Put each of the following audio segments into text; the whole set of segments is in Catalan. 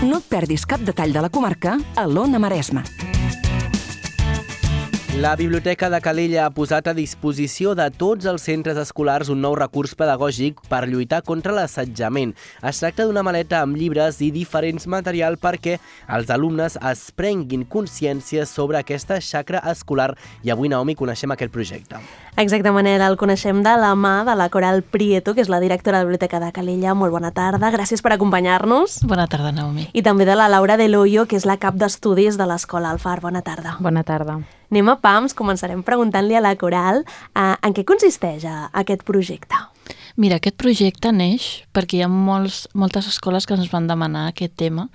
No et perdis cap detall de la comarca a l'Ona Maresme. La Biblioteca de Calella ha posat a disposició de tots els centres escolars un nou recurs pedagògic per lluitar contra l'assetjament. Es tracta d'una maleta amb llibres i diferents material perquè els alumnes es prenguin consciència sobre aquesta xacra escolar. I avui, Naomi, coneixem aquest projecte. Exacte, Manel, el coneixem de la mà de la Coral Prieto, que és la directora de la Biblioteca de Calella. Molt bona tarda, gràcies per acompanyar-nos. Bona tarda, Naomi. I també de la Laura Del Hoyo, que és la cap d'estudis de l'Escola Alfar. Bona tarda. Bona tarda. Anem a pams, començarem preguntant-li a la Coral en què consisteix aquest projecte. Mira, aquest projecte neix perquè hi ha moltes escoles que ens van demanar aquest tema.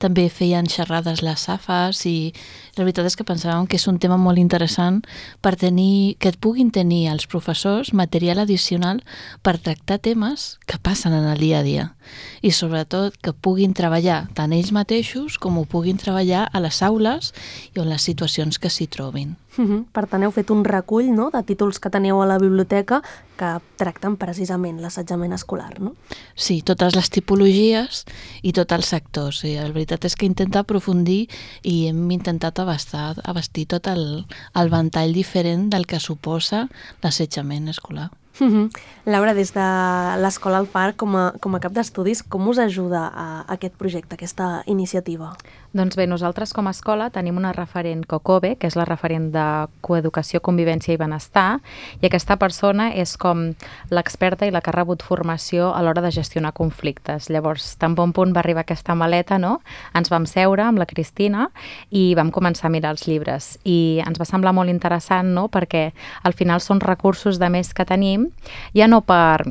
També feien xerrades les AFAs i la veritat és que pensàvem que és un tema molt interessant per que et puguin tenir els professors material addicional per tractar temes que passen en el dia a dia i sobretot que puguin treballar tant ells mateixos com ho puguin treballar a les aules i en les situacions que s'hi trobin. Per tant, heu fet un recull, no?, de títols que teniu a la biblioteca que tracten precisament l'assetjament escolar, no? Sí, totes les tipologies i tots els sectors. La veritat és que intenta aprofundir i hem intentat abastir tot el ventall diferent del que suposa l'assetjament escolar. Laura, des de l'Escola Alfar, com a cap d'estudis, com us ajuda aquest projecte, aquesta iniciativa? Doncs bé, nosaltres com a escola tenim una referent COCOBE, que és la referent de Coeducació, Convivència i Benestar, i aquesta persona és com l'experta i la que ha rebut formació a l'hora de gestionar conflictes. Llavors, tan bon punt va arribar aquesta maleta, no?, ens vam seure amb la Cristina i vam començar a mirar els llibres. I ens va semblar molt interessant, no?, perquè al final són recursos de més que tenim, ja no per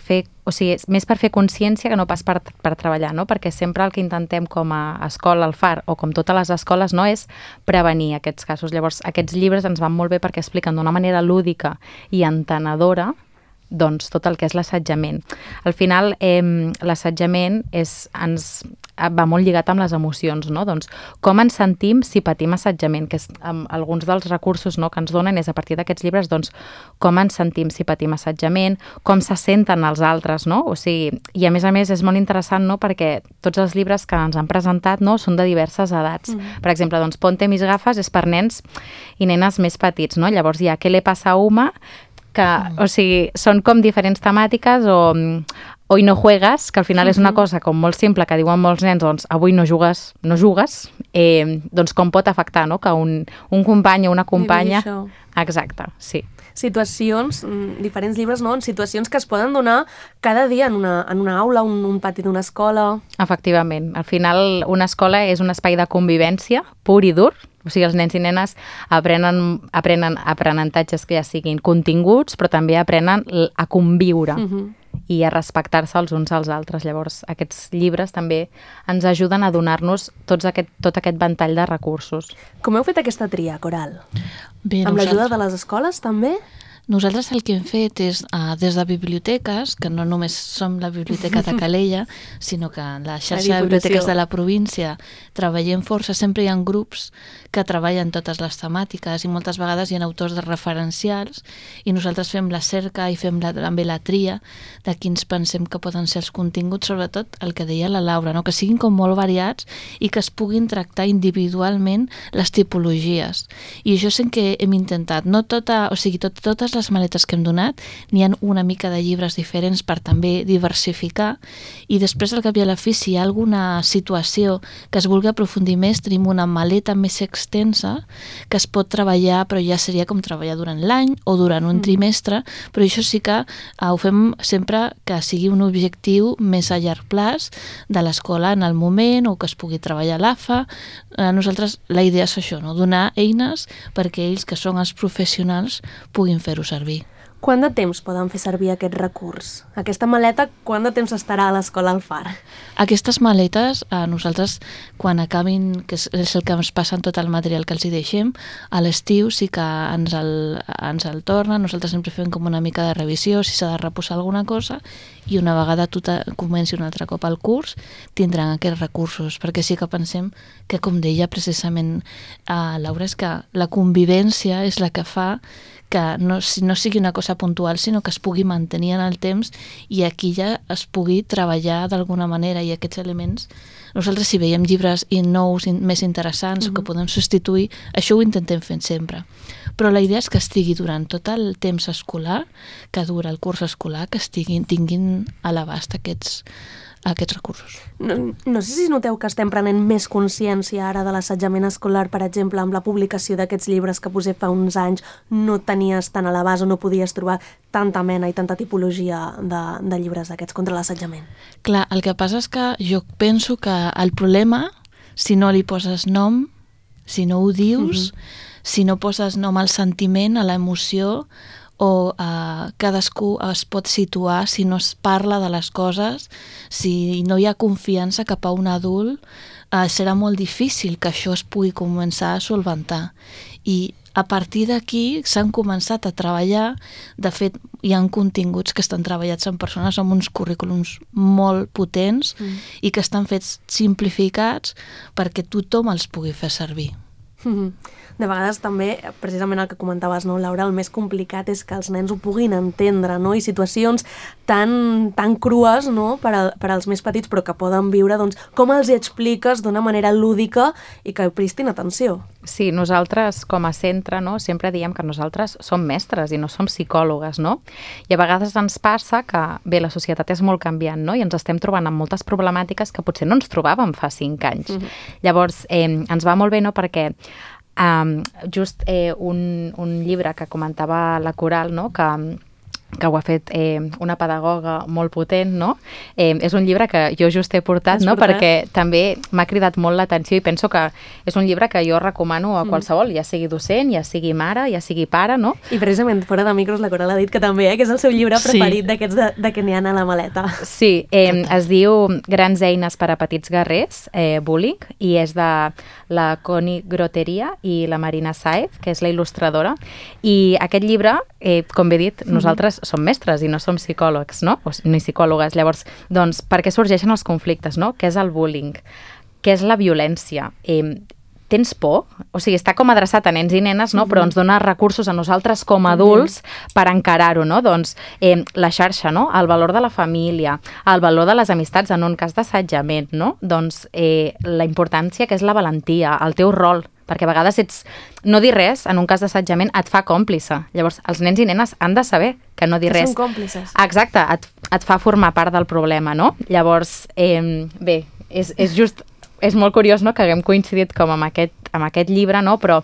fer, o sigui, més per fer consciència que no pas per treballar, no? Perquè sempre el que intentem com a escola Alfar o com totes les escoles, no, és prevenir aquests casos. Llavors, aquests llibres ens van molt bé perquè expliquen d'una manera lúdica i entenedora doncs tot el que és l'assetjament. Al final, l'assetjament va molt lligat amb les emocions, no? Doncs com ens sentim si patim assetjament, que és alguns dels recursos, no, que ens donen és a partir d'aquests llibres, doncs com ens sentim si patim assetjament, com se senten els altres, no? O sigui, i a més és molt interessant, no?, perquè tots els llibres que ens han presentat, no, són de diverses edats. Per exemple, doncs Ponte mis gafes és per nens i nenes més petits, no? Llavors hi ha Què le passa a Uma, que, o sigui, són com diferents temàtiques o Hoy no juegas, que al final és una cosa com molt simple que diuen molts nens, doncs avui no jugues, doncs com pot afectar, no?, que un company o una companya... Exacte, sí. Situacions, diferents llibres, no?, en situacions que es poden donar cada dia en una aula, un pati d'una escola... Efectivament. Al final una escola és un espai de convivència pur i dur. O sigui, els nens i nenes aprenen aprenentatges que ja siguin continguts, però també aprenen a conviure i a respectar-se els uns als altres. Llavors, aquests llibres també ens ajuden a donar-nos tot aquest ventall de recursos. Com heu fet aquesta tria, Coral? Bé, amb l'ajuda de les escoles, també? Nosaltres el que hem fet és, des de biblioteques, que no només som la Biblioteca de Calella, sinó que la xarxa de biblioteques de la província treballem força, sempre hi ha grups que treballen totes les temàtiques i moltes vegades hi ha autors de referencials i nosaltres fem la cerca i fem també la tria de quins pensem que poden ser els continguts, sobretot el que deia la Laura, no? Que siguin com molt variats i que es puguin tractar individualment les tipologies. I això és el que hem intentat. No totes les maletes que hem donat n'hi ha una mica de llibres diferents per també diversificar i després al cap i a la fi si hi ha alguna situació que es vulgui aprofundir més tenim una maleta més extensa que es pot treballar però ja seria com treballar durant l'any o durant un trimestre, però això sí que ho fem sempre que sigui un objectiu més a llarg plaç de l'escola en el moment o que es pugui treballar a l'AFA. Nosaltres la idea és això, no? Donar eines perquè ells que són els professionals puguin fer-ho servir. Quant de temps poden fer servir aquest recurs? Aquesta maleta, quant de temps estarà a l'Escola Alfar? Aquestes maletes, nosaltres, quan acabin, que és el que ens passa en tot el material que els hi deixem, a l'estiu sí que ens el tornen, nosaltres sempre fem com una mica de revisió, si s'ha de reposar alguna cosa, i una vegada tu comenci un altre cop el curs, tindran aquests recursos, perquè sí que pensem que, com deia precisament Laura, és que la convivència és la que fa que no sigui una cosa puntual, sinó que es pugui mantenir en el temps i aquí ja es pugui treballar d'alguna manera, i aquests elements, nosaltres si veiem llibres nous, més interessants o que podem substituir, això ho intentem fer sempre. Però la idea és que estigui durant tot el temps escolar, que dura el curs escolar, que tinguin a l'abast aquests recursos. No sé si noteu que estem prenent més consciència ara de l'assetjament escolar, per exemple, amb la publicació d'aquests llibres que potser fa uns anys no tenies tan a l'abast o no podies trobar tanta mena i tanta tipologia de llibres d'aquests contra l'assetjament. Clar, el que passa és que jo penso que el problema, si no li poses nom, si no ho dius, si no poses nom al sentiment, a l'emoció, o cadascú es pot situar si no es parla de les coses, si no hi ha confiança cap a un adult, serà molt difícil que això es pugui començar a solventar. I a partir d'aquí s'han començat a treballar, de fet hi ha continguts que estan treballats en persones amb uns currículums molt potents i que estan fets simplificats perquè tothom els pugui fer servir. De vegades també, precisament el que comentaves, no, Laura, el més complicat és que els nens ho puguin entendre, no? I situacions tan crues, no, per als més petits, però que poden viure, doncs, com els hi expliques d'una manera lúdica i que prestin atenció. Sí, nosaltres com a centre, no, sempre diem que nosaltres som mestres i no som psicòlogues, no? I a vegades ens passa que, bé, la societat és molt canviant, no? I ens estem trobant amb moltes problemàtiques que potser no ens trobàvem fa 5 anys. Llavors, ens va molt bé, no?, perquè just un llibre que comentava la Coral, no?, que ho ha fet una pedagoga molt potent, no? És un llibre que jo just he portat, no? Perquè també m'ha cridat molt l'atenció i penso que és un llibre que jo recomano a qualsevol, ja sigui docent, ja sigui mare, ja sigui pare, no? I precisament fora de micros la Coral ha dit que també, que és el seu llibre preferit d'aquests de que n'hi ha a la maleta. Sí, es diu Grans eines per a petits guerrers, Bullying, i és de la Connie Groteria i la Marina Saez, que és la il·lustradora. I aquest llibre, com bé dit, nosaltres som mestres i no som psicòlegs, no? Ni psicòlogues. Llavors, doncs, per què sorgeixen els conflictes, no? Què és el bullying? Què és la violència? Tens por? O sigui, està com adreçat a nens i nenes, no? Però ens dona recursos a nosaltres com a adults per encarar-ho, no? Doncs la xarxa, no? El valor de la família, el valor de les amistats en un cas d'assetjament, no? Doncs la importància que és la valentia, el teu rol, perquè a vegades no dir res en un cas d'assetjament et fa còmplice. Llavors, els nens i nenes han de saber que no dir res. Són còmplices. Exacte, et fa formar part del problema, no? Llavors, bé, és molt curiós, no?, que haguem coincidit com amb aquest llibre, no? Però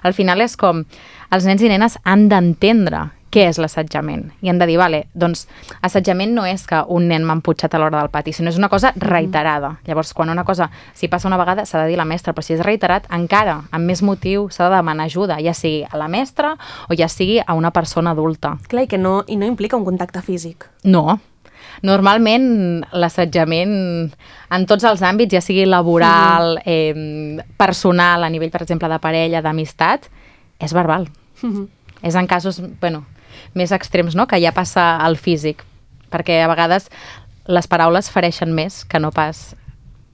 al final és com els nens i nenes han d'entendre què és l'assetjament. I han de dir, vale, doncs assetjament no és que un nen m'ha emputxat a l'hora del pati, sinó és una cosa reiterada. Llavors, quan una cosa, si passa una vegada, s'ha de dir a la mestra, però si és reiterat, encara, amb més motiu, s'ha de demanar ajuda, ja sigui a la mestra o ja sigui a una persona adulta. Clar, i no implica un contacte físic. No. Normalment l'assetjament en tots els àmbits, ja sigui laboral, personal, a nivell, per exemple, de parella, d'amistat, és verbal. És en casos, més extrems, no?, que ja passa al físic, perquè a vegades les paraules fereixen més que no pas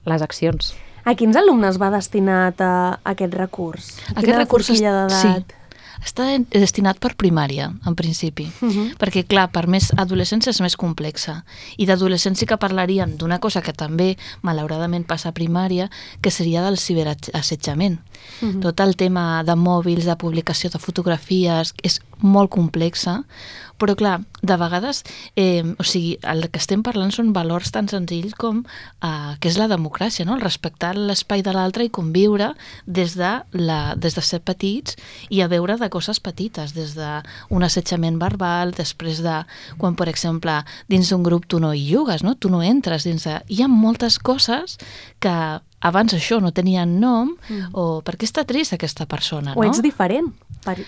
les accions. A quins alumnes va destinat aquest recurs? Aquest recurs d'edat? Està destinat per primària, en principi, perquè, clar, per més adolescència és més complexa. I d'adolescència que parlaríem d'una cosa que també, malauradament, passa a primària, que seria del ciberassetjament. Tot el tema de mòbils, de publicació de fotografies, és molt complexa, però, clar, de vegades, o sigui, el que estem parlant són valors tan senzills com que és la democràcia, no? El respectar l'espai de l'altre i conviure des de ser petits i a veure de coses petites, des d'un assetjament verbal, després de quan, per exemple, dins d'un grup tu no hi jugues, no? Tu no entres dins de... Hi ha moltes coses que abans això no tenien nom, o per què està trist aquesta persona, no? O ets diferent, pel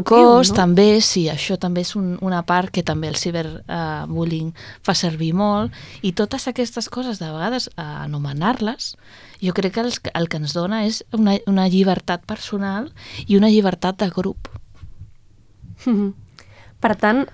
cos, no? També, sí, això també és una part que també el ciberbullying fa servir molt, i totes aquestes coses, de vegades, anomenar-les, jo crec que el que ens dona és una llibertat personal i una llibertat de grup. Per tant,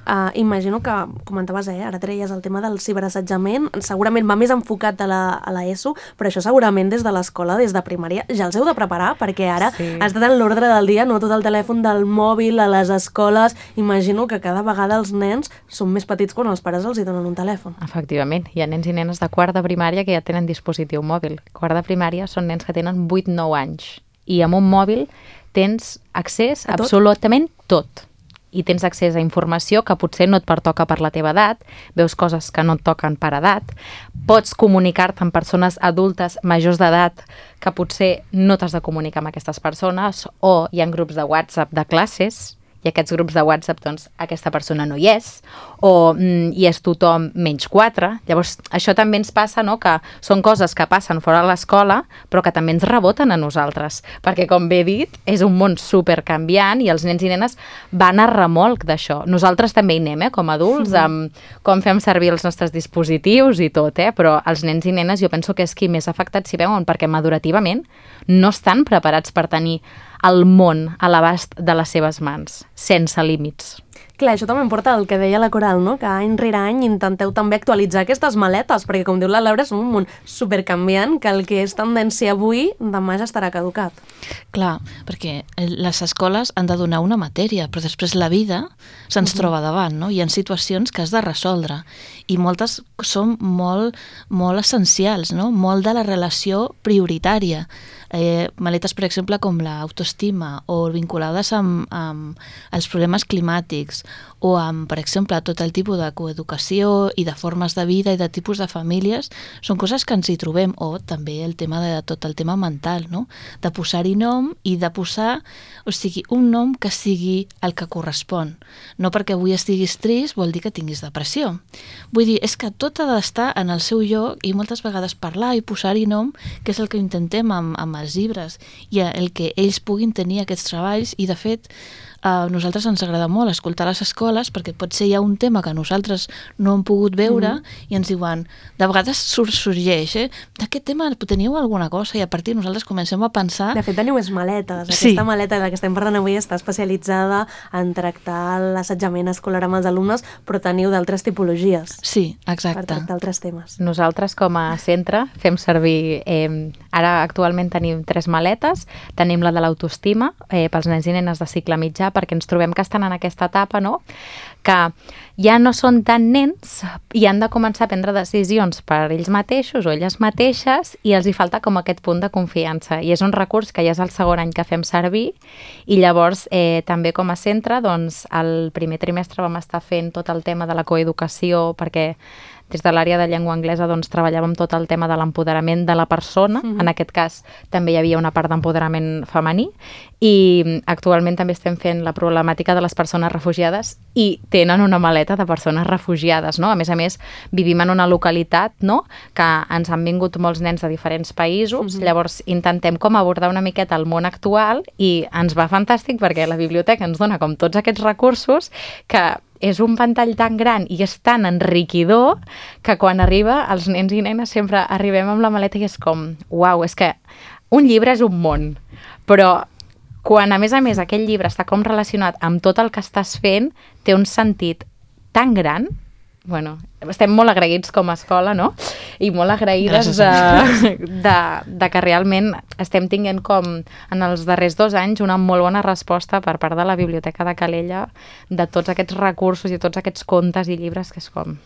imagino que, comentaves, ara treies el tema del ciberassetjament, segurament va més enfocat a l'ESO, però això segurament des de l'escola, des de primària, ja els heu de preparar, perquè ara ha estat en l'ordre del dia, no tot el telèfon del mòbil a les escoles. Imagino que cada vegada els nens són més petits quan els pares els hi donen un telèfon. Efectivament, hi ha nens i nenes de quart de primària que ja tenen dispositiu mòbil. Quart de primària són nens que tenen 8-9 anys i amb un mòbil tens accés a absolutament tot. I tens accés a informació que potser no et pertoca per la teva edat, veus coses que no et toquen per edat, pots comunicar-te amb persones adultes majors d'edat que potser no t'has de comunicar amb aquestes persones, o hi ha grups de WhatsApp de classes, i aquests grups de WhatsApp, doncs, aquesta persona no hi és, o hi és tothom menys 4. Llavors, això també ens passa, no?, que són coses que passen fora de l'escola, però que també ens reboten a nosaltres, perquè, com bé he dit, és un món supercanviant i els nens i nenes van a remolc d'això. Nosaltres també hi anem, com a adults, amb com fem servir els nostres dispositius i tot, però els nens i nenes jo penso que és qui més afectat s'hi veuen, perquè madurativament no estan preparats per tenir el món a l'abast de les seves mans, sense límits. Clar, això també em porta al que deia la Coral, no? Que any rere any intenteu també actualitzar aquestes maletes, perquè com diu la Laura, és un món supercanviant que el que és tendència avui, demà ja estarà caducat. Clar, perquè les escoles han de donar una matèria, però després la vida se'ns troba davant, no? Hi ha situacions que has de resoldre i moltes són molt, molt essencials, no? Molt de la relació prioritària. Maletes, per exemple, com l'autoestima o vinculades amb els problemes climàtics o amb, per exemple, tot el tipus de coeducació i de formes de vida i de tipus de famílies, són coses que ens hi trobem. O també el tema de tot el tema mental, no? De posar-hi nom i de posar, o sigui, un nom que sigui el que correspon. No perquè avui estiguis trist vol dir que tinguis depressió. Vull dir, és que tot ha d'estar en el seu lloc i moltes vegades parlar i posar-hi nom, que és el que intentem amb els llibres i el que ells puguin tenir aquests treballs. I de fet a nosaltres ens agrada molt escoltar les escoles perquè potser hi ha un tema que nosaltres no hem pogut veure i ens diuen, de vegades sorgeix, d'aquest tema teníeu alguna cosa? I a partir nosaltres comencem a pensar... De fet, teniu més maletes. Aquesta maleta de la que estem parlant avui està especialitzada en tractar l'assetjament escolar amb els alumnes, però teniu d'altres tipologies. Sí, exacte. Per tractar altres temes. Nosaltres, com a centre, fem servir... Ara, actualment, tenim 3 maletes. Tenim la de l'autoestima, pels nens i nenes de cicle mitjà, perquè ens trobem que estan en aquesta etapa, no?, que ja no són tan nens i han de començar a prendre decisions per ells mateixos o elles mateixes i els hi falta com aquest punt de confiança. I és un recurs que ja és el segon any que fem servir i llavors també com a centre, doncs, el primer trimestre vam estar fent tot el tema de la coeducació perquè des de l'àrea de llengua anglesa doncs, treballàvem tot el tema de l'empoderament de la persona. En aquest cas també hi havia una part d'empoderament femení i actualment també estem fent la problemàtica de les persones refugiades i tenen una maleta de persones refugiades, no? A més, vivim en una localitat, no?, que ens han vingut molts nens de diferents països, llavors intentem com abordar una miqueta el món actual i ens va fantàstic perquè la biblioteca ens dona com tots aquests recursos que és un ventall tan gran i és tan enriquidor que quan arriba els nens i nenes sempre arribem amb la maleta i és com, uau, és que un llibre és un món, però quan a més aquell llibre està com relacionat amb tot el que estàs fent, té un sentit tan gran. Bueno, estem molt agraïts com a escola, no? I molt agraïdes de que realment estem tinguent com en els darrers 2 anys una molt bona resposta per part de la Biblioteca de Calella de tots aquests recursos i tots aquests contes i llibres que és com...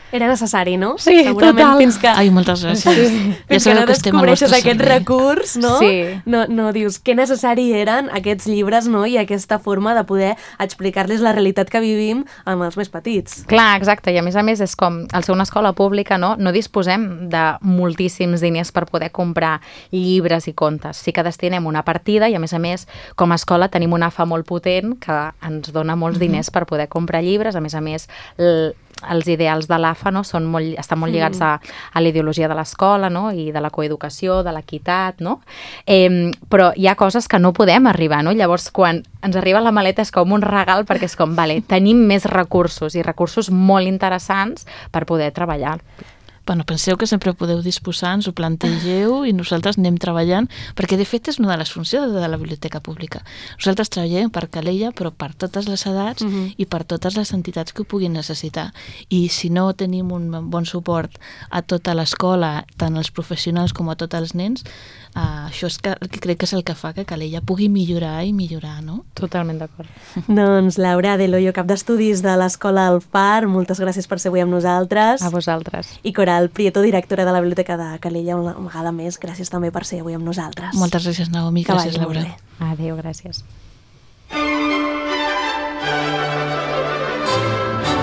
Era necessari, no? Sí, segurament, total. Fins que... Ai, moltes gràcies. Sí. Fins que no descobreixes aquest recurs, no? Sí. No dius que necessari eren aquests llibres, no? I aquesta forma de poder explicar-los la realitat que vivim amb els més petits. Clar, exacte. I a més és com, al ser una escola pública, no disposem de moltíssims diners per poder comprar llibres i contes. Sí que destinem una partida i a més, com a escola tenim una AFA molt potent que ens dona molts diners per poder comprar llibres. A més, els ideals de l'AFA, no, estan molt lligats a la ideologia de l'escola, no, i de la coeducació, de l'equitat, no? Però hi ha coses que no podem arribar, no? Llavors, quan ens arriba la maleta és com un regal perquè és com, vale, tenim més recursos i recursos molt interessants per poder treballar. bueno, penseu que sempre podeu disposar, ens ho plantegeu i nosaltres anem treballant, perquè de fet és una de les funcions de la biblioteca pública. Nosaltres treballem per Calella, però per totes les edats i per totes les entitats que ho puguin necessitar. I si no tenim un bon suport a tota l'escola, tant als professionals com a tots els nens, això és que crec que és el que fa que Calella pugui millorar i millorar, no? Totalment d'acord. Doncs Laura de Loyo, cap d'estudis de l'Escola El Far, moltes gràcies per ser avui amb nosaltres. A vosaltres. I Coral Prieto, directora de la Biblioteca de Calella, una vegada més, gràcies també per ser avui amb nosaltres. Moltes gràcies, Naomi. Gràcies, Laura. Adéu, gràcies.